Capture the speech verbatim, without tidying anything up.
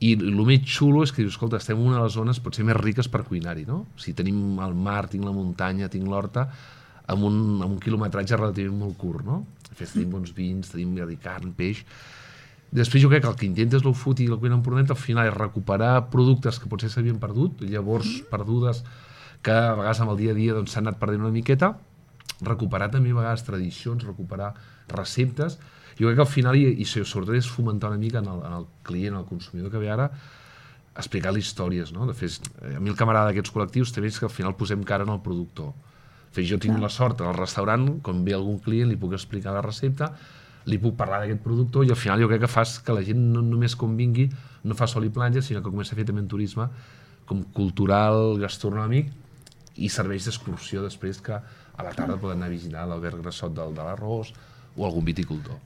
I el més xulo és que dius, escolta, estem en una de les zones potser més riques per cuinar-hi, no? O sigui, tenim el mar, tinc la muntanya, tinc l'horta, amb un, amb un quilometratge relativament molt curt, no? De fet, tenim bons vins, tenim carn, peix. Després jo crec que el que intentes l'Out Food i la cuina empordanesa al final és recuperar productes que potser s'havien perdut, llavors perdudes que a vegades amb el dia a dia s'han anat perdent una miqueta, recuperar també a vegades tradicions, recuperar receptes. Jo crec que al final, i, i sobretot és fomentar una mica en el, en el client, en el consumidor que ve ara, explicar-li històries, no? De fet, a mi el que m'agrada d'aquests col·lectius també és que al final posem cara en el productor. De fet, jo tinc la sort al restaurant, quan ve algun client li puc explicar la recepta, li puc parlar d'aquest productor i al final jo crec que fas que la gent no només quan vingui no fa sol i platja, sinó que comença a fer també un turisme com cultural, gastronòmic i serveis d'excursió després que a la tarda poden anar a visitar l'Albert Grassot del, de l'Arròs o algun viticultor.